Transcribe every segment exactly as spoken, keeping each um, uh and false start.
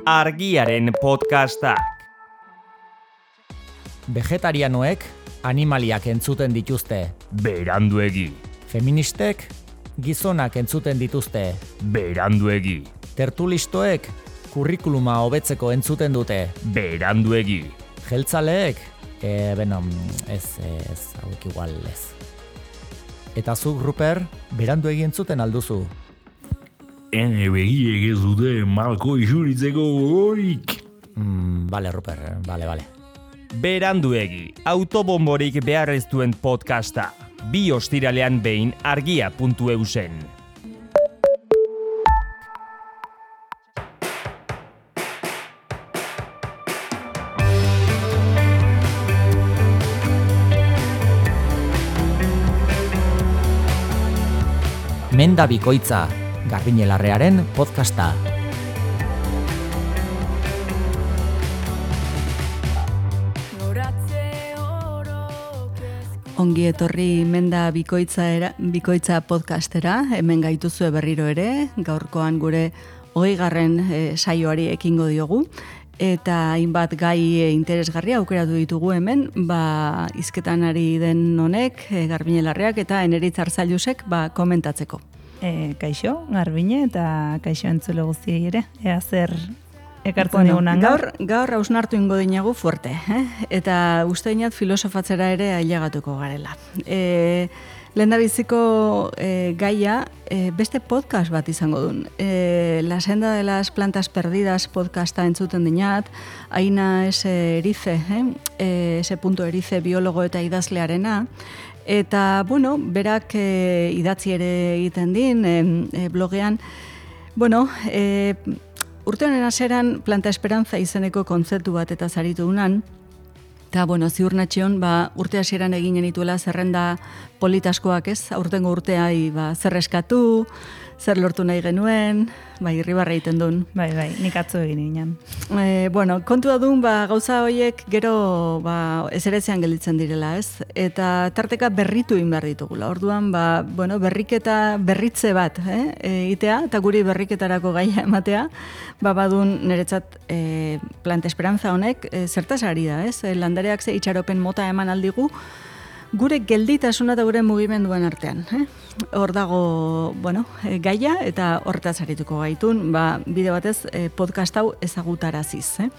Argiaren podcastak. Vegetarianoek animaliak entzuten dituzte. Beranduegi. Feministek gizonak entzuten dituzte. Beranduegi. Tertulistoek kurrikuluma hobetzeko entzuten dute. Beranduegi. Jeltzaleek, e, beno, ez, ez, hauek igual ez. Eta zuk, Ruper, beranduegi entzuten alduzu. Ene begiek ez dute malko isuritzeko gogorik. Mm, bale, Ruper, bale, bale. Beranduegi, autobomborik behar ez duen podcasta. Bi ostiralean behin argia puntu eusen. Menda bikoitza, Garbiñelarrearen podcasta. Ongi etorri Menda bikoitza, era, bikoitza podcastera, hemen gaituzue berriro ere, gaurkoan gure hogeigarren e, saioari ekingo diogu, eta hainbat gai interesgarria aukeratu ditugu hemen, ba, hizketan ari den honek, e, Garbiñelarreak eta Eneritz Arzailusek ba, komentatzeko. E, kaixo, Garbine, eta kaixo entzule guztiei ere, ea zer ekartzen bueno, digunan gaur. Gaur hausnartu ingo dinagu fuerte, eh? Eta uste dinat filosofatzera ere ailegatuko garela. E, Lehendabiziko e, gaia e, beste podcast bat izango duen. E, La senda de las plantas perdidas podcasta entzuten dinat, Aina S. Erize, eh? E, S. Erize biologo eta idazlearena, eta, bueno, berak e, idatzi ere egiten din, e, e, blogean, bueno, e, urte honen hasieran Planta Esperanza izeneko kontzeptu bat eta zaritu dunan, eta, bueno, ziur natxion, ba, urte hasieran egin genituela zerrenda politaskoak, ez? Aurtengo urteai, ba, zer eskatu, zer lortu nahi genuen, bai, irribarra egiten duen. Bai, bai, nik atzo egin ginen. E, bueno, kontua duen, ba, gauza horiek gero ba, ezeretzean gelditzen direla, ez? Eta tarteka berritu egin behar ditugula. Orduan, ba, bueno, berriketa berritze bat, eh? Egitea, eta guri berriketarako gaia ematea, ba, badun niretzat e, Planta Esperanza honek e, zertaz ari da, ez? E, landareak ze itxaropen mota eman aldigu, gure gelditasuna eta gure mugimenduen artean. Eh? Hor dago, bueno, e, gaia eta horretaz arituko gaitun, ba, bide batez e, podcast hau ezagutaraziz. Eh?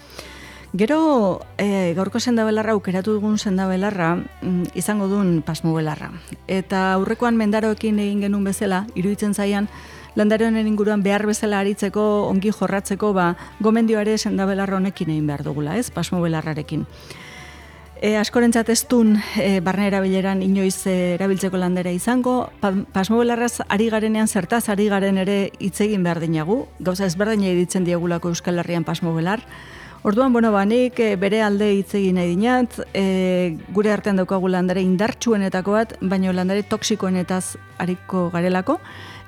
Gero, e, gaurko sendabelarra, aukeratu dugun sendabelarra, mm, izango duen pasmobelarra. Eta aurrekoan mendaroekin egin genuen bezala, iruditzen zaian, landare honen inguruan behar bezala aritzeko, ongi jorratzeko, ba, gomendioare sendabelarra honekin egin behar dugula, ez, pasmobelarrarekin. E, askorentzat ez dun e, barne erabileran inoiz e, erabiltzeko landera izango, pa, pasmobelarraz ari garenean zertaz ari garen ere hitz egin behar dinagu, gauza ezberdina ditzen diegulako Euskal Herrian pasmobelar. Orduan, bueno, ba, nik e, bere alde hitz egin nahi dinat, e, gure artean daukagu landare indartsuenetako bat, baina landare toksikoenetaz ariko garelako,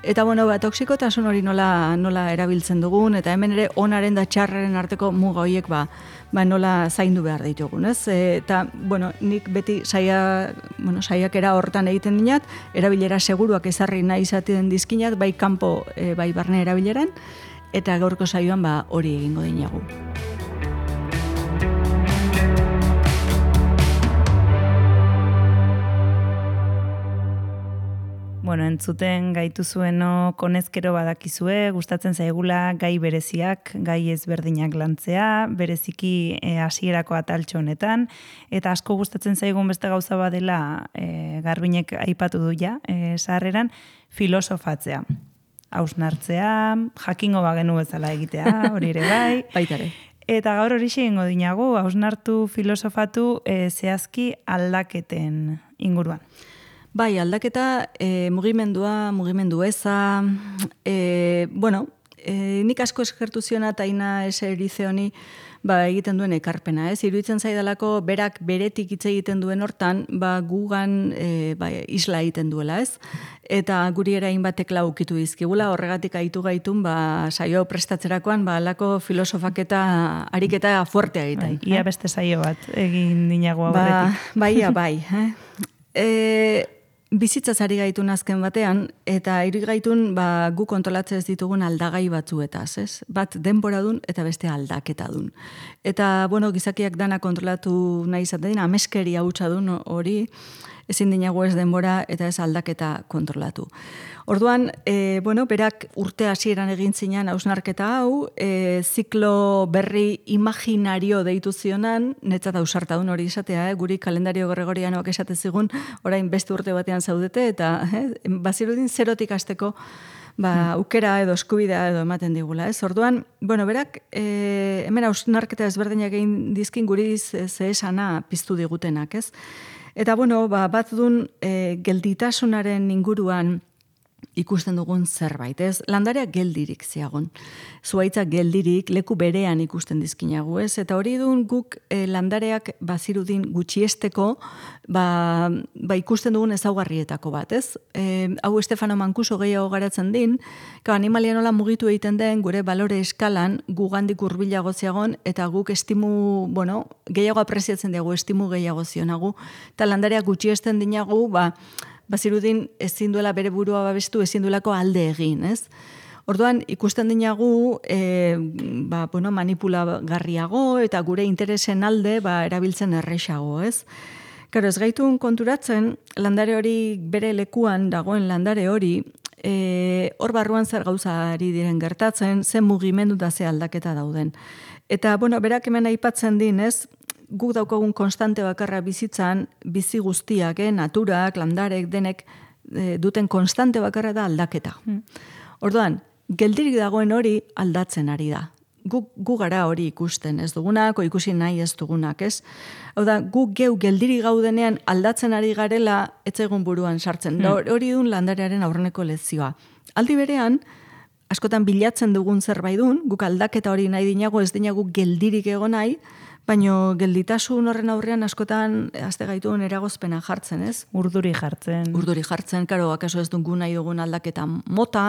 eta bueno, ba, toksikotasun hori nola, nola erabiltzen dugun, eta hemen ere onaren da txarraren arteko muga horiek ba, ba nola zaindu behar ditugun, ez? E, eta, bueno, nik beti saia, bueno, saiakera hortan egiten dinat, erabilera seguruak ezarri nahi izaten dizkinat, bai kanpo, e, bai barne erabileran, eta gaurko saioan ba hori egingo dinagu. Bueno, entzuten gaitu zueno konezkero badakizue, gustatzen zaigula gai bereziak, gai ezberdinak lantzea, bereziki e, hasierako ataltxo honetan, eta asko gustatzen zaigun beste gauza badela e, Garbinek aipatu du ja, e, sarreran, filosofatzea. Hausnartzea, jakingo bagenu bezala egitea, hori ere bai. Baitare. Eta gaur hori egingo dinagu, hausnartu filosofatu e, zehazki aldaketen inguruan. Bai, aldaketa, e, mugimendua, mugimendu eza, e, bueno, e, nik asko eskertu ziona eta Aina S. Erize honi ba, egiten duen ekarpena, ez? Iruditzen zaidalako berak beretik hitz egiten duen hortan, ba, gugan e, ba, isla egiten duela, ez? Eta guri ere hainbatek laukitu dizkigula, horregatik aitu gaitun, ba, saio prestatzerakoan, ba, alako filosofaketa ariketa fuertea egiten. Bai, ia beste saio bat egin dinago aurretik. Ba, baia, bai. Eh? E, bizitzaz ari gaitun azken batean, eta hiri gaitun ba, gu kontrolatzen ez ditugun aldagai batzuetaz, ez? Bat denbora dun eta beste aldaketa dun. Eta, bueno, gizakiak dana kontrolatu nahi izaten dina, ameskeria hutsa dun hori, ezin dinago ez denbora eta ez aldaketa kontrolatu. Orduan, e, bueno, berak urte hasieran egin zinan hausnarketa hau, e, ziklo berri imaginario deitu zionan, netzat ausartadun hori izatea, eh? Guri kalendario gregorianoak esate zigun, orain beste urte batean zaudete, eta eh? bazirudin zerotik hasteko ba, aukera edo eskubidea edo ematen digula. Ez? Orduan, bueno, berak, e, hemen hausnarketa ezberdinak egin dizkin guri ze esana piztu digutenak, ez? Eta, bueno, ba, bat dun e, gelditasunaren inguruan ikusten dugun zerbait, ez? Landareak geldirik ziagon. Zuaitza geldirik leku berean ikusten dizkinagu, ez? Eta hori dun guk e, landareak bazirudin gutxiesteko ba, ba ikusten dugun ezaugarrietako bat, ez? E, hau Stefano Mancuso gehiago garatzen din, ka animalia nola mugitu egiten den gure balore eskalan gugandik hurbilago ziagon eta guk estimu, bueno, gehiago apreziatzen dugu, estimu gehiago zionagu, eta landareak gutxiesten dinagu, ba, bazirudin ezin duela bere burua babestu, ezin duelako alde egin, ez? Orduan, ikusten dinagu e, ba, bueno, manipulagarriago eta gure interesen alde ba, erabiltzen errexago, ez? Karo, ez gaitun konturatzen, landare hori bere lekuan dagoen landare hori, e, hor barruan zer gauzari diren gertatzen, zen mugimendu da ze aldaketa dauden. Eta, bueno, berak hemen aipatzen din, ez? Guk daukagun konstante bakarra bizitzan, bizi guztiak, eh, naturak, landarek, denek e, duten konstante bakarra da aldaketa. Mm. Orduan, geldirik dagoen hori aldatzen ari da. Guk gu gara hori ikusten, ez dugunak, o ikusi nahi ez dugunak, ez? Hau da, guk geu geldirik gaudenean aldatzen ari garela etzaigun buruan sartzen. Mm. Da, hori dun landarearen aurreneko lezioa. Aldi berean, askotan bilatzen dugun zerbait dun, guk aldaketa hori nahi dinago, ez dinagu geldirik egon nahi, baino gelditasun horren aurrean askotan azte gaituen eragozpena jartzen, ez? Urduri jartzen. Urduri jartzen, karo, akaso ez dugu nahi dugun aldaketa mota.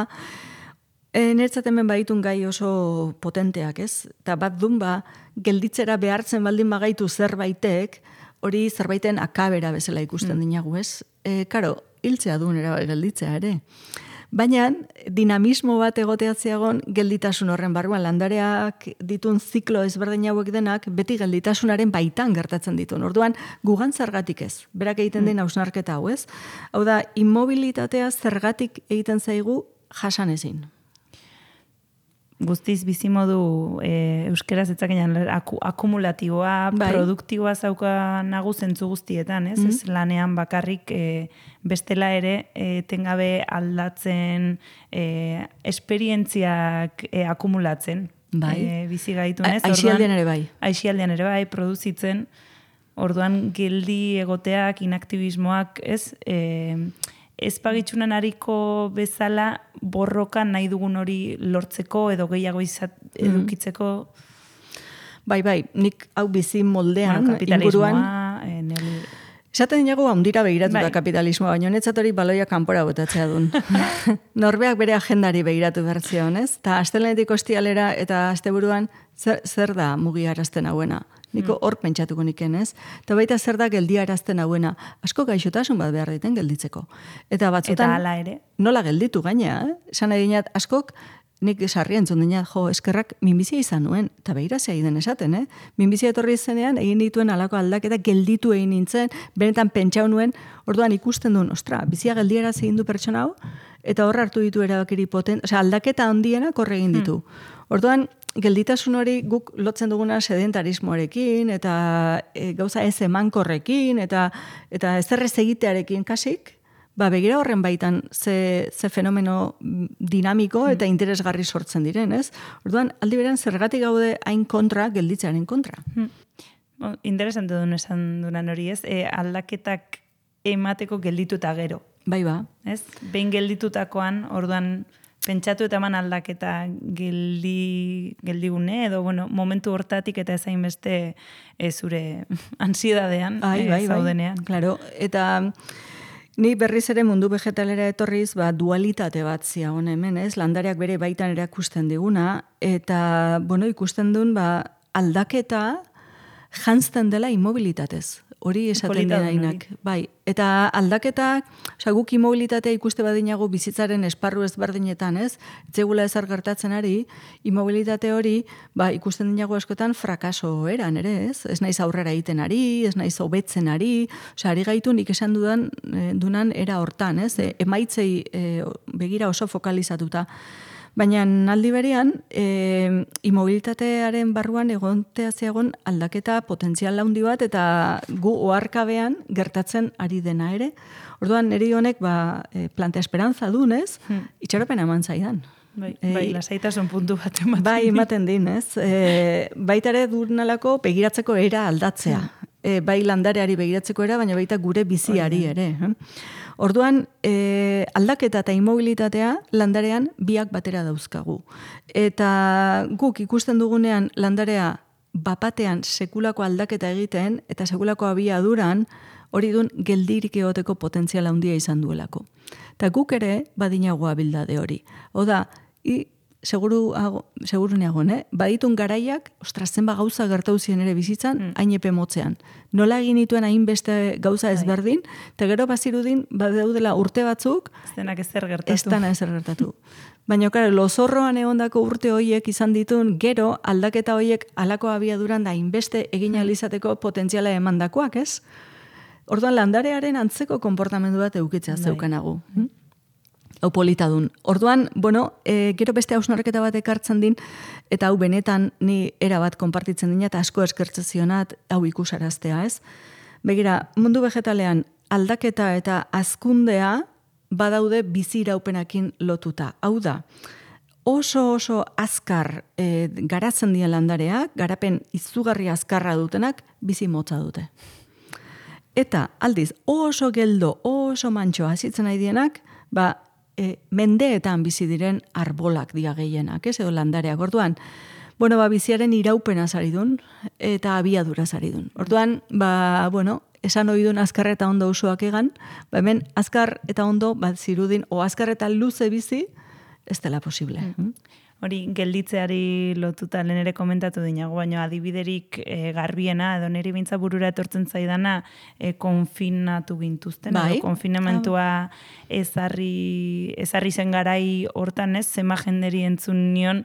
E, Nertzat hemen baitun gai oso potenteak, ez? Eta bat dun ba, gelditzera behartzen baldin bagaitu zerbaitek, hori zerbaiten akabera bezala ikusten mm. dinagu, ez? E, karo, hiltzea duen era gelditzea ere. Baina, dinamismo bat egoteatzeagon gelditasun horren barruan landareak ditun ziklo ezberdin hauek denak beti gelditasunaren baitan gertatzen ditun. Orduan, gugan zergatik ez. Berak egiten den hausnarketa hau, ez? Hau da, immobilitatea zergatik egiten zaigu jasan ezin. Guztiz bizimodu e, euskeraz etzakenan aku, akumulatiboa, bai. Produktiboa zauka nagu zentzu guztietan, ez? Mm-hmm. Ez lanean bakarrik e, bestela ere e, tengabe aldatzen e, esperientziak e, akumulatzen. Bai. E, bizi gaitun, ez? Aixialdean ere bai. Aixialdean ere bai, produzitzen. Orduan geldi egoteak, inaktibismoak, ez? E, ez pagitxunan hariko bezala borrokan nahi dugun hori lortzeko edo gehiago izat, edukitzeko. Bai, bai, nik hau bizi moldean, bueno, kapitalismoa, inguruan. En el... Esaten dinago handira begiratu bai. Da kapitalismoa, baina netzat hori baloia kanpora botatzea duen. Norbeak bere agendari begiratu bertzion, ez? Ta astelenetik ostialera eta asteburuan zer, zer da mugiarazten hauena? Niko hor pentsatuko niken, ez? Eta baita zer da geldiarazten hauena. Asko gaixotasun bat behar diten gelditzeko. Eta batzutan... Eta hala ere. Nola gelditu gaina, eh? Esan nahi dinat, askok, nik sarri entzun dinat, jo, eskerrak minbizia izan nuen. Eta behira zei den esaten, eh? Minbizia etorri izenean, egin dituen alako aldaketa gelditu egin nintzen, benetan pentsau nuen, orduan ikusten duen, ostra, bizia geldiaraz egin du pertsona hau, eta hor hartu ditu erabakiri poten, osea, aldaketa handiena korre egin ditu. Hmm. Orduan, gelditasun hori guk lotzen duguna sedentarismoarekin eta e, gauza ez emankorrekin eta eta ezerrez egitearekin kasik, ba begira horren baitan ze, ze fenomeno dinamiko eta interesgarri sortzen diren, ez? Orduan, aldi berean zergatik gaude hain kontra gelditzearen kontra. Hmm. Bon, interesante duen esan duran hori, ez? E, aldaketak emateko gelditu eta gero. Bai ba. Ez? Behin gelditutakoan, orduan pentsatu eta eman aldaketa geldi, geldigune, edo bueno, momentu hortatik eta ezain beste e, zure ansiedadean bai, bai, e, zaudenean. Bai. Claro, eta ni berriz ere mundu vegetalera etorriz, ba, dualitate bat ziagon hemen, ez? Landareak bere baitan erakusten diguna, eta, bueno, ikusten duen, ba, aldaketa jantzten dela immobilitatez. Hori esaten denainak. Bai, eta aldaketak, osea, guk immobilitatea ikuste badinago bizitzaren esparru ezberdinetan, ez? Etzegula ezer gertatzen ari, immobilitate hori, ba, ikusten dinago askotan frakaso eran, ere, ez? Ez naiz aurrera egiten ari, ez naiz hobetzen ari, osea, ari gaitu nik esan dudan, e, dunan era hortan, ez? E, emaitzei e, begira oso fokalizatuta. Baina aldi berean, e, immobilitatearen barruan egontea zeagon aldaketa potentzial handi bat eta gu oharkabean gertatzen ari dena ere. Orduan, niri honek ba, e, plantea esperantza dunez, hmm. itxaropena eman zaidan. Bai, e, bai lasaitasun puntu bat ematen bai, ematen din, ez? E, baita ere durnalako begiratzeko era aldatzea. Hmm. E, bai landareari begiratzeko era, baina baita gure biziari ere. Eh? Orduan, e, aldaketa eta immobilitatea landarean biak batera dauzkagu. Eta guk ikusten dugunean landarea bapatean sekulako aldaketa egiten eta sekulako abiaduran hori dun geldirik egoteko potentziala handia izan duelako. Eta guk ere badinago abildade hori. Oda, i, seguru, seguru neagon, eh? Baditun garaiak, ostras, zenba gauza gertau ziren ere bizitzan, mm. hain epe motzean. Nola egin dituen hainbeste gauza ezberdin, eta gero bazirudin, badaudela urte batzuk, ez denak ezer gertatu. Ez dena ezer gertatu. Baina, karo, lozorroan egondako urte hoiek izan ditun, gero aldaketa hoiek alako abiaduran da hainbeste egin alizateko potentziala emandakoak, ez? Orduan, landarearen antzeko konportamendu bat eukitzea zeukanagu. Hm? Hau politadun. Orduan, bueno, e, gero beste hausnarketa bat ekartzen din, eta hau benetan ni era bat konpartitzen dina, eta asko eskertzen zionat, hau ikusaraztea, ez? Begira, mundu vegetalean aldaketa eta hazkundea badaude bizi iraupenakin lotuta. Hau da, oso oso azkar e, garatzen dien landareak, garapen izugarri azkarra dutenak, bizi motza dute. Eta, aldiz, oso geldo, oso mantxo hazitzen nahi dienak, ba, E, mendeetan bizi diren arbolak dia gehienak, ez edo landareak. Orduan, bueno, ba, biziaren iraupena zaridun eta abiadura zaridun. Orduan, ba, bueno, esan oidun azkar eta ondo usuak egan, ba, hemen azkar eta ondo bat zirudin, o azkar eta luze bizi, ez dela posible. Mm. Hori, gelditzeari lotuta lehen ere komentatu dinago, baina adibiderik e, garbiena, edo niri bintza burura etortzen zaidana, e, konfinatu gintuzten, bai? edo konfinamentua ezarri, ezarri zen garai hortan ez, zema jenderi entzun nion,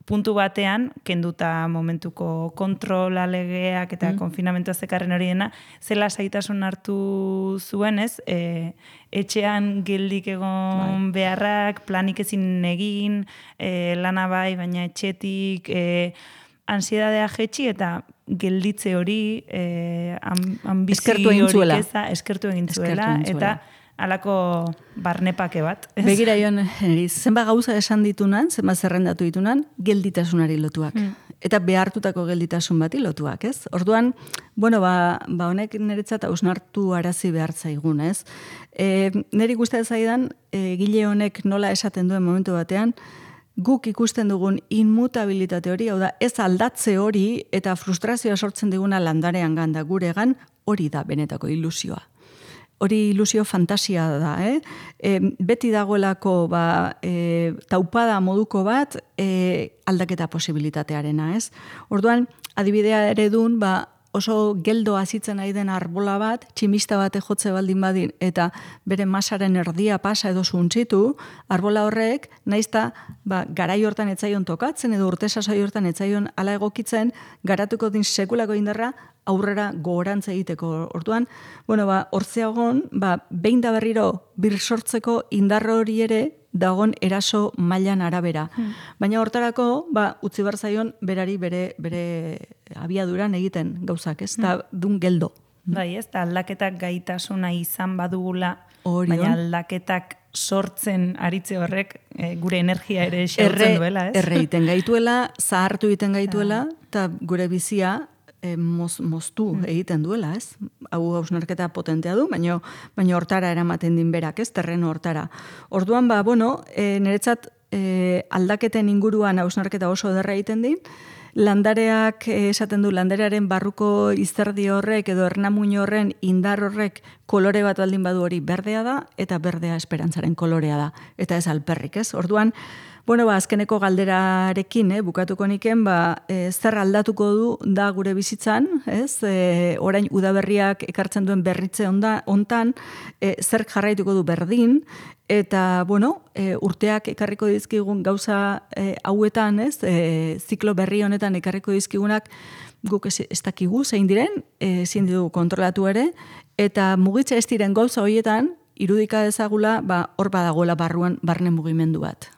puntu batean, kenduta momentuko kontrola legeak eta mm. konfinamentua zekarren hori dena, zela saitasun hartu zuen, ez? E, etxean geldik egon bai. Beharrak, planik ezin egin, e, lana bai, baina etxetik, e, ansiedadea jetxi eta gelditze hori, e, ambizio hori keza, eskertu egin zuela, eta alako barnepake bat. Ez? Begira joan, zenba gauza esan ditunan, zenba zerrendatu ditunan, gelditasunari lotuak. Mm. Eta behartutako gelditasun bati lotuak, ez? Orduan, bueno, ba, ba honek niretzat hausnartu arazi behar zaigun, ez? E, niri gustatzen zaidan, e, gile honek nola esaten duen momentu batean, guk ikusten dugun inmutabilitate hori, hau da, ez aldatze hori eta frustrazioa sortzen diguna landarean ganda guregan, hori da benetako ilusioa. Hori ilusio fantasia da, eh? E, beti dagoelako ba, e, taupada moduko bat e, aldaketa posibilitatearena, ez? Orduan, adibidea ere dun, ba, oso geldo azitzen nahi den arbola bat, tximista bate jotze baldin badin, eta bere masaren erdia pasa edo zuntzitu, arbola horrek, naizta ba, garai hortan etzaion tokatzen, edo urte sasoi hortan etzaion ala egokitzen, garatuko din sekulako indarra, aurrera gogorantza egiteko. Orduan, bueno, ba, hortzeagon, ba, behin da berriro bir sortzeko indar hori ere dagon eraso mailan arabera. Hmm. Baina hortarako, ba, utzi behar zaion berari bere, bere abiaduran egiten gauzak, ez? Da, hmm. dun geldo. Bai, ez, da aldaketak gaitasuna izan badugula, Orion. Baina aldaketak sortzen aritze horrek e, gure energia ere xertzen duela, ez? Erre egiten gaituela, zahartu egiten gaituela, eta gure bizia E, moz, moztu mm. egiten duela, ez? Hau hausnarketa potentea du, baina baina hortara eramaten din berak, ez? Terreno hortara. Orduan, ba, bueno, e, niretzat e, aldaketen inguruan hausnarketa oso derra egiten din, landareak e, esaten du, landarearen barruko izterdi horrek edo ernamuin horren indar horrek kolore bat baldin badu hori berdea da, eta berdea esperantzaren kolorea da, eta ez alperrik, ez? Orduan, Bueno, ba, azkeneko galderarekin, eh, bukatuko niken, ba, e, zer aldatuko du da gure bizitzan, ez? E, orain udaberriak ekartzen duen berritze onda, ontan, e, zer jarraituko du berdin, eta, bueno, e, urteak ekarriko dizkigun gauza e, hauetan, ez? E, ziklo berri honetan ekarriko dizkigunak, guk ez, ez dakigu zein diren, ezin dugu kontrolatu ere, eta mugitza ez diren gauza horietan, irudika dezagula, ba, hor badagoela barruan barne mugimendu bat.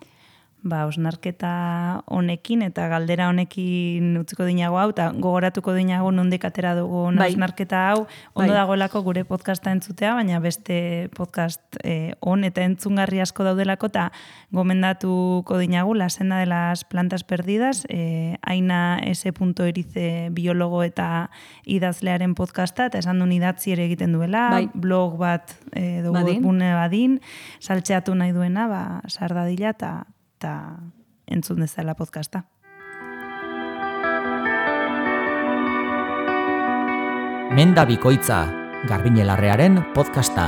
Ba, osnarketa honekin eta galdera honekin utziko dinago hau, eta gogoratuko dinago nondik atera dugu bai. osnarketa hau, ondo bai. dagoelako gure podcasta entzutea, baina beste podcast eh, on eta entzungarri asko daudelako, eta gomendatuko dinagu La senda de las plantas perdidas, eh, Aina S. Erize biologo eta idazlearen podcasta, eta esan duen idatzi ere egiten duela, bai. blog bat eh, dugu Badin. bune badin, saltzeatu nahi duena, ba, sardadila eta eta entzun dezala podcasta. Menda bikoitza, Garbiñelarrearen podcasta.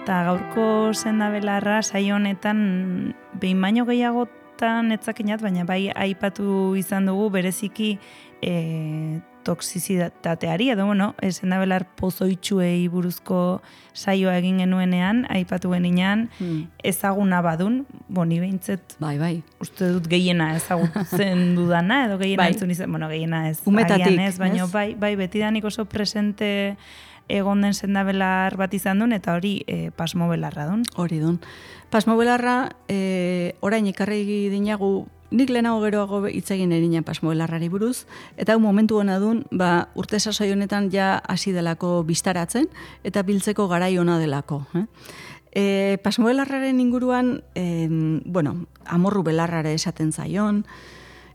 Eta gaurko senda belarra saio honetan behin baino gehiagotan etzakinat, baina bai aipatu izan dugu bereziki e, toxizitateari, edo, bueno, senda belar pozoitxuei buruzko saioa egin genuenean, aipatu geninean, Hmm. ezaguna badun, boni behintzet, Bai, bai. uste dut gehiena ezagutzen dudana, edo gehiena Bai. entzun izan, bueno, gehiena ez, Umetatik, agian ez, baina ez? bai, bai, betidanik oso presente egon den sendabelar bat izan duen, eta hori e, pasmo belarra duen. Hori dun. Pasmo belarra, e, orain ikarri dinagu, nik lehenago geroago hitz egin erina pasmo belarrari buruz, eta hau momentu hona dun, ba, urte sasoi honetan ja hasi delako biztaratzen, eta biltzeko garai ona delako. Eh? E, pasmo belarraren inguruan, e, bueno, amorru belarrare esaten zaion,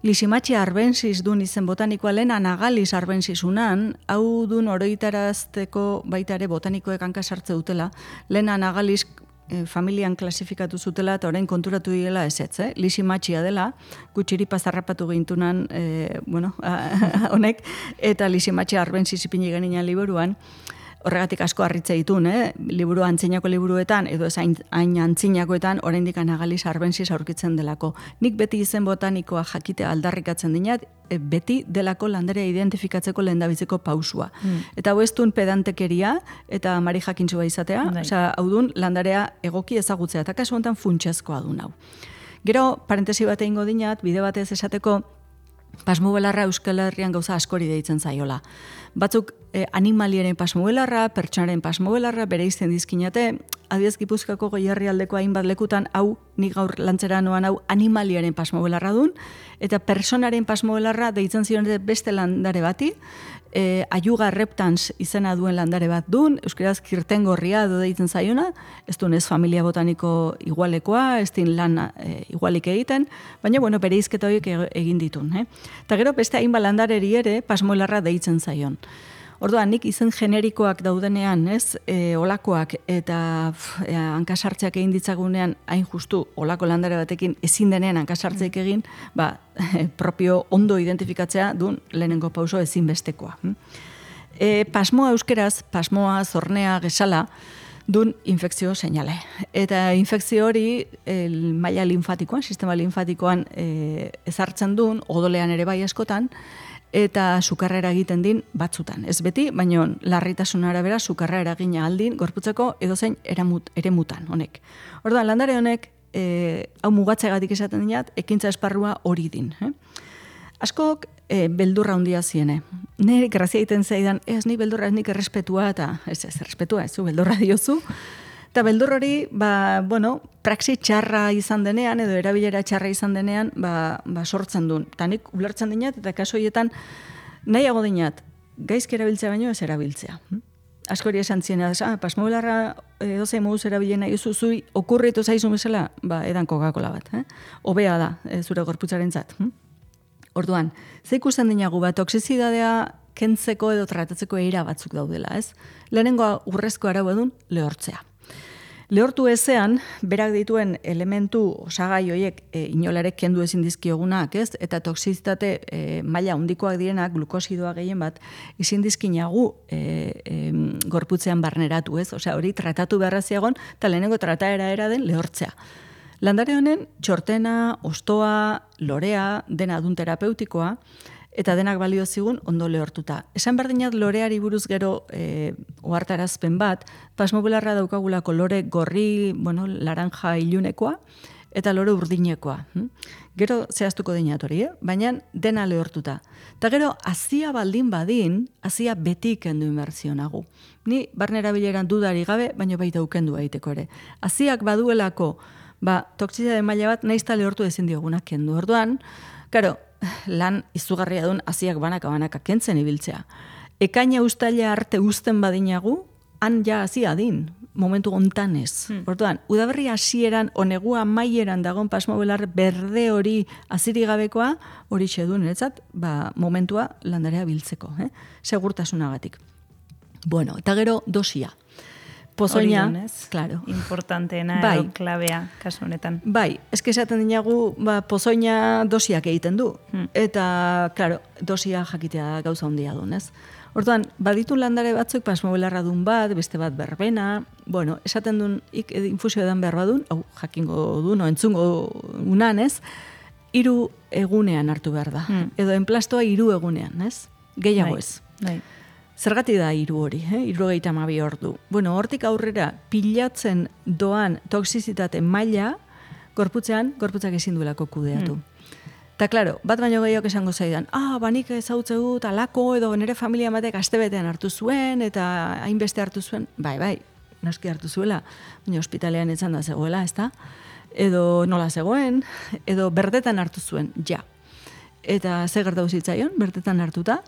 Lisimatxia arbensis dun izen botanikoa lehen anagalis arbensisunan, hau dun oroitarazteko baita ere botanikoek hanka sartze dutela, lehen anagalis e, familian klasifikatu zutela eta orain konturatu direla ezetz, eh? Lisimatxia dela, gutxiripa zarrapatu gintunan, e, bueno, honek, eta lisimatxia arbensis ipini genina liburuan, horregatik asko harritze ditun, eh? Liburu antzinako liburuetan, edo ez hain, hain antzinakoetan, oraindik anagalis arbensis aurkitzen delako. Nik beti izen botanikoa jakitea aldarrikatzen dinat, e, beti delako landarea identifikatzeko lehendabiziko pausua. Mm. Eta hau ez duen pedantekeria, eta mari jakintzua izatea, Bai. osea, hau duen landarea egoki ezagutzea, eta kasu honetan funtsezkoa du hau. Gero, parentesi bat egingo dinat, bide batez esateko, pasmo belarra Euskal Herrian gauza askori deitzen zaiola. Batzuk eh, animaliaren pasmo belarra, pertsonaren pasmo belarra, bere izten dizkinate, adibidez Gipuzkoako Goierrialdeko hainbat lekutan, hau, nik gaur lantzera noan hau, animaliaren pasmo belarra dun, eta personaren pasmo belarra deitzen zion beste landare bati, e, Ayuga reptans izena duen landare bat dun, euskeraz kirtengorria edo deitzen zaiona, ez duen ez familia botaniko igualekoa, ez din lan e, igualik egiten, baina bueno, bere izketa horiek egin ditun. Eh? Eta gero beste hainbat landareri ere pasmoelarra deitzen zaion. Orduan, nik izen generikoak daudenean, ez, e, olakoak eta pf, e, hankasartzeak egin ditzagunean, hain justu, olako landare batekin ezin denean hankasartzeak egin, ba, propio ondo identifikatzea dun lehenengo pauso ezinbestekoa. E, pasmoa euskeraz, pasmoa, zornea, gesala, dun infekzio seinale. Eta infekzio hori el maila linfatikoan, sistema linfatikoan e, ezartzen duen, odolean ere bai askotan, eta sukarra eragiten din batzutan. Ez beti, baina larritasun arabera sukarra eragina aldin gorputzeko edozein eramut, eremutan honek. Orduan, landare honek, e, hau mugatzegatik esaten dinat, ekintza esparrua hori din. Eh? Askok e, beldurra handia ziene. Nire grazia egiten zaidan, ez ni beldurra, ez nik errespetua, eta ez ez, errespetua, ez zu, beldurra diozu. Eta beldur hori, ba, bueno, praxi txarra izan denean, edo erabilera txarra izan denean, ba, ba sortzen duen. Eta nik ulertzen dinat, eta kaso horietan nahiago dinat, gaizki erabiltzea baino ez erabiltzea. Askori esan ziena, ah, pasmobelarra edozein moduz erabilena izu, zui okurritu zaizu bezala, ba, edan Coca-Cola bat. Eh? Obea da, e, zure gorputzaren zat. Hm? Orduan, ze ikusten dinagu, ba, toxizidadea kentzeko edo tratatzeko eira batzuk daudela, ez? Lehenengoa urrezko arau edun, lehortzea. Lehortu ezean, berak dituen elementu osagai horiek e, inolarek kendu ezin dizkiogunak, ez? Eta toxizitate e, maila handikoak direnak, glukosidoa gehien bat, ezin dizkinagu e, e, gorputzean barneratu, ez? Osea, hori tratatu beharra ziagon, eta lehenengo trataera era den lehortzea. Landare honen, txortena, ostoa, lorea, dena adun terapeutikoa, eta denak balio zigun ondo lehortuta. Esan berdinat loreari buruz gero e, ohartarazpen bat, pasmobelarra daukagulako lore gorri, bueno, laranja ilunekoa, eta lore urdinekoa. Hm? Gero zehaztuko dinat hori, eh? Baina dena lehortuta. Eta gero, azia baldin badin, azia beti kendu inbertzionagu. Ni barnera bileran dudari gabe, baina baita ukendu aiteko ere. Aziak baduelako, ba, toxizade maila bat, naizta lehortu ezin diogunak kendu. Orduan, karo, lan izugarria duen aziak banaka-banaka kentzen ibiltzea. Ekaina ustaila arte uzten badinagu, han ja azia din, momentu hontan ez. Hmm. Orduan, udaberri hasieran onegua maieran dagon pasmobelar berde hori aziri gabekoa, hori xedun, eretzat, ba, momentua landarea biltzeko, eh? Segurtasunagatik. Bueno, eta gero dosia. Pozoina, claro. Importanteena bai. edo klabea kasu honetan. Bai, eske esaten dinagu, ba, pozoina dosiak egiten du. Hmm. Eta, claro, dosia jakitea gauza handia duen, ez? Orduan, baditu landare batzuk pasmobelarra dun bat, beste bat berbena, bueno, esaten duen ik, infusio edan behar badun, hau jakingo du, no, entzungo unan, ez? Hiru egunean hartu behar da. Hmm. Edo enplastoa hiru egunean, ez? Gehiago bai. ez. Bai. Zergatik da hiru hori, eh? hirurogeita hamabi ordu. Bueno, hortik aurrera pilatzen doan toxizitate maila gorputzean, gorputzak ezin duelako kudeatu. Eta, mm. klaro, bat baino gehiago esango zaidan, ah, banik ezautze dut, alako, edo nire familia batek astebetean hartu zuen, eta hainbeste hartu zuen, bai, bai, noski hartu zuela, baina ospitalean etzan da zegoela, ezta? Edo nola zegoen, edo berdetan hartu zuen, ja. Eta ze gertatu zitzaion, berdetan hartuta,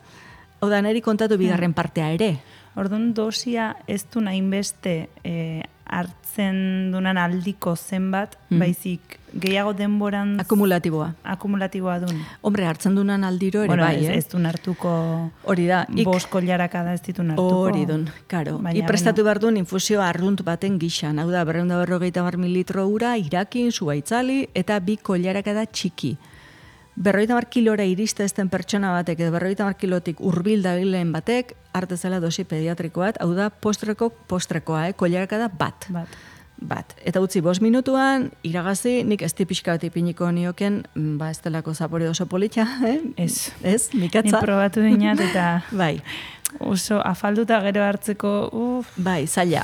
hau da, niri kontatu bigarren partea ere. Orduan dosia ez du hainbeste e, hartzen dunan aldiko zenbat, mm. baizik gehiago denboran... Akumulatiboa. Akumulatiboa dun. Hombre, hartzen dunan aldiro ere bueno, bai, ez, eh? ez dun hartuko... Hori da. Ik... Bost koilaraka da ez ditun hartuko. Hori dun, karo. I prestatu behar duen infusioa arrunt baten gixan. Hau da, berreunda berrogeita bar mililitro ura, irakin, zubaitzali, eta bi koilaraka da txiki. Berroita mar kilora iriste ezten pertsona batek, edo berroita mar kilotik urbil dabilen batek, artezela dosi pediatriko bat, hau da postreko postrekoa, eh? Koilaraka da bat. Bat. Bat. Eta utzi bost minutuan, iragazi, nik ez tipixka bat ipiniko nioken, ba ez delako zapore oso politxa, eh? Ez. Ez, mikatza. Ni probatu dinat eta... bai. Oso afalduta gero hartzeko, uf. Bai, zaila.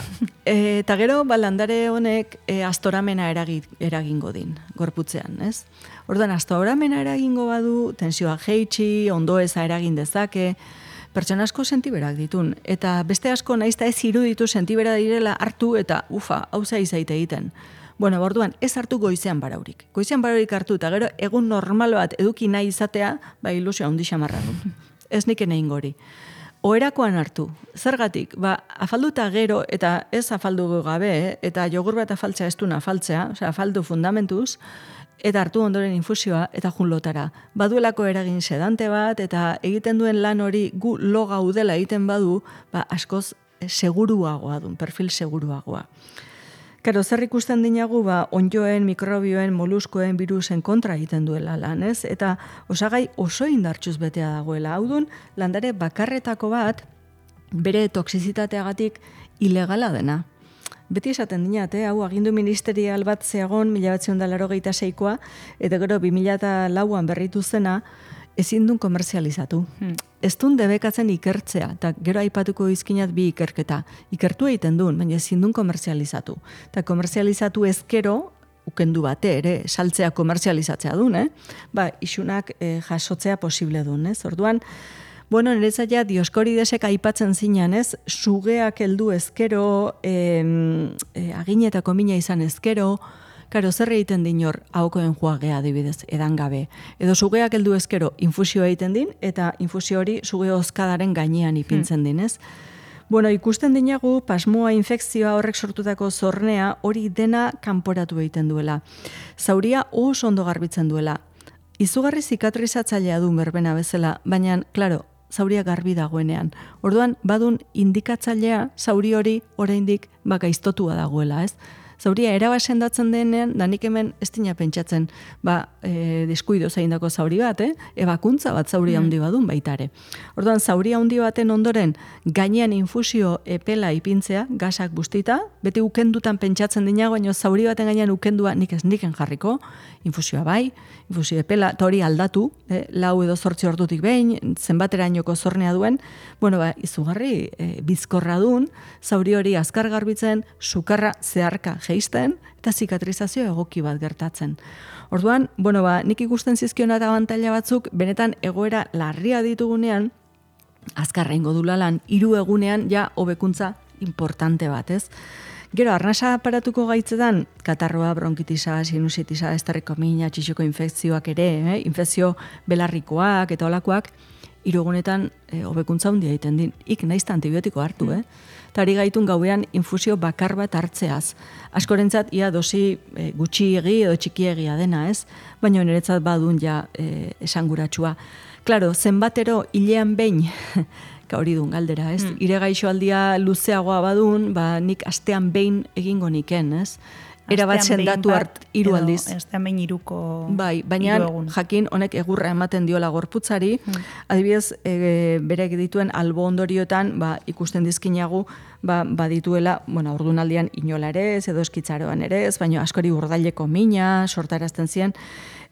E, eta gero, ba, landare honek e, astoramena eragi, eragingo din, gorputzean, ez? Orduan, astoramena eragingo badu, tensioa jeitsi, ondoeza eragin dezake, pertsona asko sentiberak ditun. Eta beste asko naizta ez iruditu sentibera direla hartu eta ufa, hauza izaite egiten. Bueno, orduan, ez hartu goizean baraurik. Goizean baraurik hartu eta gero egun normal bat eduki nahi izatea, ba ilusioa handi xamarra du. Ez nik enein gori. Oherakoan hartu. Zergatik, ba, afalduta gero, eta ez afaldu gabe, eh? Eta jogur bat afaltzea ez duna afaltzea, osea, afaldu fundamentuz, eta hartu ondoren infusioa, eta jun lotara. Baduelako eragin sedante bat, eta egiten duen lan hori gu lo gaudela egiten badu, ba, askoz seguruagoa dun, perfil seguruagoa. Karo, zer ikusten dinagu, ba, onjoen, mikrobioen, moluskoen, virusen kontra egiten duela lan, ez? Eta osagai oso indartxuz betea dagoela. Hau dun, landare bakarretako bat, bere toxizitateagatik ilegala dena. Beti esaten dinat, eh? Hau agindu ministerial bat zeagon, mila batzion da laurogeita seikoa, eta gero bi mila lauan berritu zena, ezin dun komerzializatu. Hmm. Ez dun debekatzen ikertzea, eta gero aipatuko izkinat bi ikerketa. Ikertu egiten duen, baina ezin dun komerzializatu. Eta komerzializatu ezkero, ukendu bate ere, saltzea komerzializatzea duen, eh? Ba, isunak eh, jasotzea posible duen, ez? Orduan, bueno, niretzat Dioskoridesek aipatzen zinan, ez? Sugeak heldu ezkero, eh, eh, aginetako mina izan ezkero, karo, zer egiten din hor, ahokoen joagea adibidez, edan gabe. Edo sugeak heldu ezkero infusio egiten din, eta infusio hori suge hozkadaren gainean ipintzen din, ez? Bueno, ikusten dinagu, pasmoa, infekzioa horrek sortutako zornea, hori dena kanporatu egiten duela. Zauria oso ondo garbitzen duela. Izugarri zikatrizatzailea du berbena bezala, baina, klaro, zauria garbi dagoenean. Orduan, badun indikatzailea zauri hori oraindik baka iztotua dagoela, ez? Zauria erabat sendatzen denean, da nik hemen ez dina pentsatzen, ba, e, deskuido zaindako zauri bat, eh? Ebakuntza bat zauri handi badun baita ere. Orduan, zauri handi baten ondoren, gainean infusio epela ipintzea, gasak bustita, beti ukendutan pentsatzen dinago, baina zauri baten gainean ukendua nik ez niken jarriko, infusioa bai, infusio epela, eta hori aldatu, eh? lau edo zortzi ordutik behin, zenbaterainoko zornea duen, bueno, ba, izugarri e, bizkorra dun, zauri hori azkar garbitzen, sukarra zeharka jeisten, eta zikatrizazio egoki bat gertatzen. Orduan, bueno, ba, nik ikusten zizkiona eta abantaila batzuk, benetan egoera larria ditugunean, azkarra ingo dulalan, hiru egunean ja hobekuntza importante bat, ez? Gero, arnasa aparatuko gaitzetan, katarroa, bronkitisa, sinusitisa, estarriko mina, txixuko infekzioak ere, eh? infekzio belarrikoak eta olakoak, hirugunetan e, hobekuntza handia egiten din. Ik naizta antibiotiko hartu, eh? Eta ari gaitun gauean infusio bakar bat hartzeaz. Askorentzat ia dosi e, gutxiegi edo txikiegia dena, ez? Baina niretzat badun ja e, esanguratsua. Claro, zenbatero hilean behin, hori dun galdera, ez? Mm. Ire gaixoaldia luzeagoa badun, ba, nik astean behin egingo niken, ez? Era bat sendatu hart hiru aldiz. Astean behin hiruko bai, baina jakin honek egurra ematen diola gorputzari, hmm. adibidez, e, berek dituen albo ondoriotan, ba, ikusten dizkinagu, ba, badituela, bueno, ordunaldian inola ere ez, edo eskitzaroan ere ez, baina askori urdaileko mina, sortarazten ziren,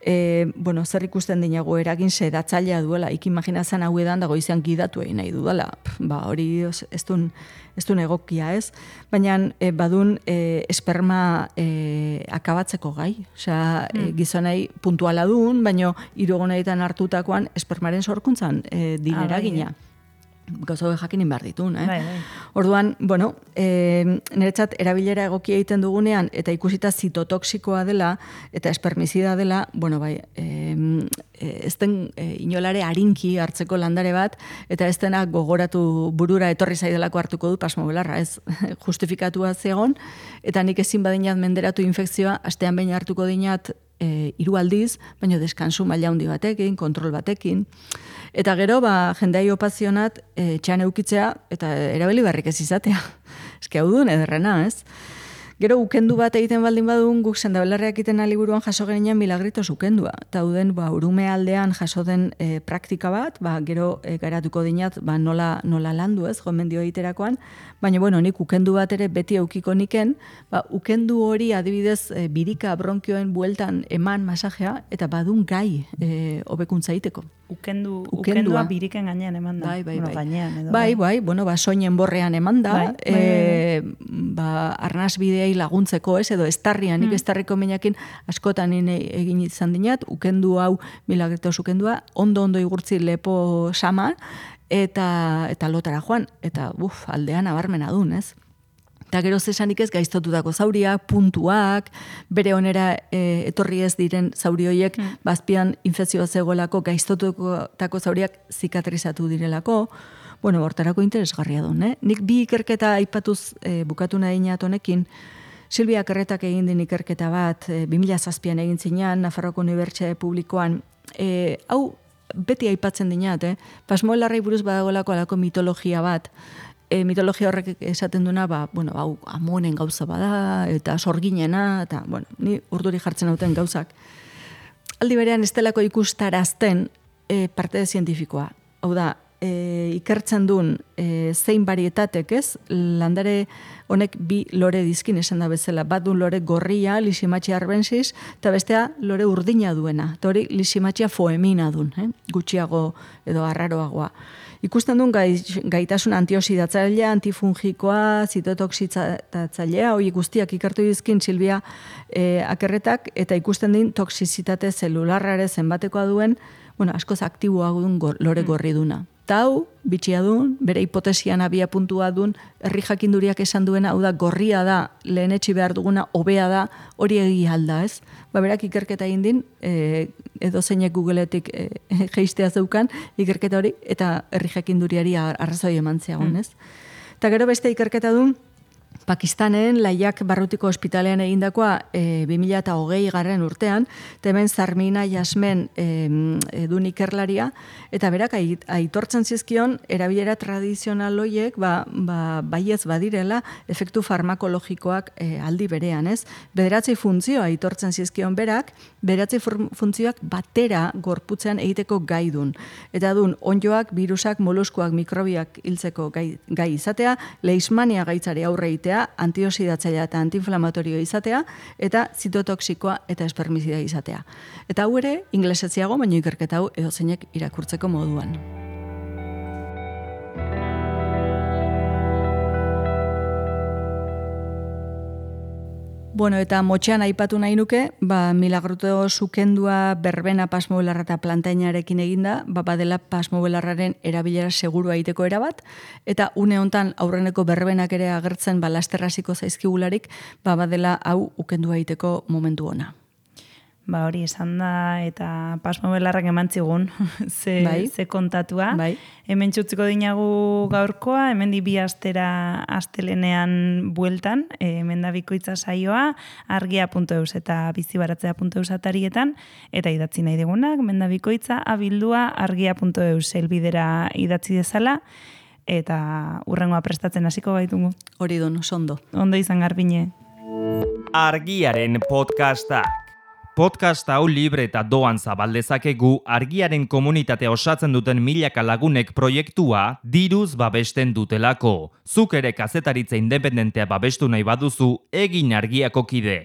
e, bueno, zer ikusten dinagu eragin sedatzailea duela, ik imaginazan hau edan dago izan gidatu egin nahi dudala, ba, hori ez duen, ez duen egokia ez, baina e, badun e, esperma e, akabatzeko gai, osea, mm. e, gizonei puntuala duen, baina hirugonetan hartutakoan espermaren sorkuntzan e, dinera gina. Gauza hori jakinin behar ditun, eh? Bai, bai. Orduan, bueno, e, niretzat erabilera egokia egiten dugunean, eta ikusita zitotoxikoa dela, eta espermizida dela, bueno, bai, e, ez den e, inolare harinki hartzeko landare bat, eta ez dena gogoratu burura etorri zaidelako hartuko du pasmobelarra, ez justifikatua zegon, eta nik ezin badinat menderatu infekzioa, astean behin hartuko dinat e, hiru aldiz, baina deskansu maila handi batekin, kontrol batekin. Eta gero, ba, jendea opazionat e, txan eukitzea eta erabili barrik ez izatea. Eske hau duen ederrena, ez? Gero, ukendu bat egiten baldin badun, guk sendabelarreak egiten aliburuan jaso genian milagritos ukendua. Eta duden, ba, urume aldean jaso den e, praktika bat, ba, gero e, garatuko dinat, ba, nola, nola landu ez, gomendio egiterakoan. Baina, bueno, nik ukendu bat ere beti eukiko niken, ba, ukendu hori adibidez e, birika bronkioen bueltan eman masajea, eta badun gai e, hobekuntza egiteko. Ukendu, ukendua biriken gainean eman da. Bai, bai, bueno, bai. Gainean, edo, bai, bai, bueno, ba, soinen borrean eman da, bai, bai, e, ba, arnaz bideai laguntzeko, ez, edo estarrian, nik mm. estarriko minakin askotan egin izan dinat, ukendu hau, milagretos ukendua, ondo-ondo igurtzi lepo sama, eta, eta lotara joan, eta buf, aldean abarmena dun, ez? Eta gero zesanik ez gaiztotutako zauriak, puntuak, bere onera e, etorri ez diren zauri horiek, mm. bazpian infekzioa zegoelako gaiztotutako zauriak zikatrizatu direlako, bueno, hortarako interesgarria duen, eh? Nik bi ikerketa aipatuz e, bukatu nahi inat honekin, Silvia Kerretak egin din ikerketa bat, e, bi mila zazpian egin zinean, Nafarroko Unibertsitate Publikoan, e, hau beti aipatzen dinat, eh? Pasmoelarrei buruz badagolako alako mitologia bat, E, mitologia horrek esaten duna, ba, bueno, hau amonen gauza bada, eta sorginena, eta, bueno, ni urduri jartzen hauten gauzak. Aldi berean, estelako ikustarazten e, parte de zientifikoa. Hau da, e, ikertzen duen e, zein barietatek, ez? Landare honek bi lore dizkin esan da bezala. Bat duen lore gorria, Lysimachia arbensis, eta bestea lore urdina duena. Eta hori Lysimachia foemina duen, eh? Gutxiago edo arraroagoa. Ikusten duen gaitasun antioxidatzailea, antifungikoa, zitotoxizatzailea, hori guztiak ikertu dizkin Silvia e, Akerretak, eta ikusten din toxizitate zelularrare zenbatekoa duen, bueno, askoz aktiboa duen go, lore gorri duna. Tau, bitxia duen, bere hipotesian abia puntua duen, herri jakinduriak esan duena, hau da, gorria da, lehenetxi behar duguna, hobea da, hori egi alda, ez? Ba, berak ikerketa egin din, e, edo zeinek Googleetik e, geistea zeukan, ikerketa hori, eta herri jakinduriari arrazoi eman zeagun, ez? Eta gero beste ikerketa duen, Pakistanen laiak barrutiko ospitalean egindakoa e, bi mila hogei garren urtean, temen Zarmina Jasmen e, edun ikerlaria, eta berak aitortzen zizkion erabilera tradizional hoiek ba, ba, baiez badirela efektu farmakologikoak e, aldi berean, ez? Bederatzi funtzio aitortzen zizkion berak, bederatzi funtzioak batera gorputzean egiteko gai dun. Eta dun, onjoak, virusak, moluskuak, mikrobiak hiltzeko gai, gai izatea, leishmania gaitzari aurre egitea, antioxidatzailea eta antiinflamatorio izatea, eta zitotoxikoa eta espermizida izatea. Eta hau ere, inglesetziago, baina ikerketa hau edozeinek irakurtzeko moduan. Bueno, eta motxean aipatu nahi nuke, ba, Milagruto sukendua berbena pasmobelarra eta plantainarekin eginda, ba, badela pasmobelarraren erabilera segurua egiteko erabat, eta une hontan aurreneko berbenak ere agertzen ba, lasterraziko zaizkigularik, ba, badela hau ukendua egiteko momentu ona. Ba hori esan da, eta pasmobelarrak eman zigun, ze, bai. ze kontatua. Bai. Hemen txutziko dinagu gaurkoa, hemen di bi astera astelenean bueltan, e, hemen da bikoitza saioa, argia puntu eus eta bizibaratzea puntu eus atarietan, eta idatzi nahi digunak, hemen da bikoitza, abildua argia puntu eus elbidera idatzi dezala, eta urrengoa prestatzen hasiko baitugu. Hori dun, sondo. Ondo izan Garbiñe. Argiaren podcasta. Podcast hau libre eta doan zabaldezakegu argiaren komunitatea osatzen duten milaka lagunek proiektua diruz babesten dutelako. Zuk ere kazetaritza independentea babestu nahi baduzu, egin argiako kide.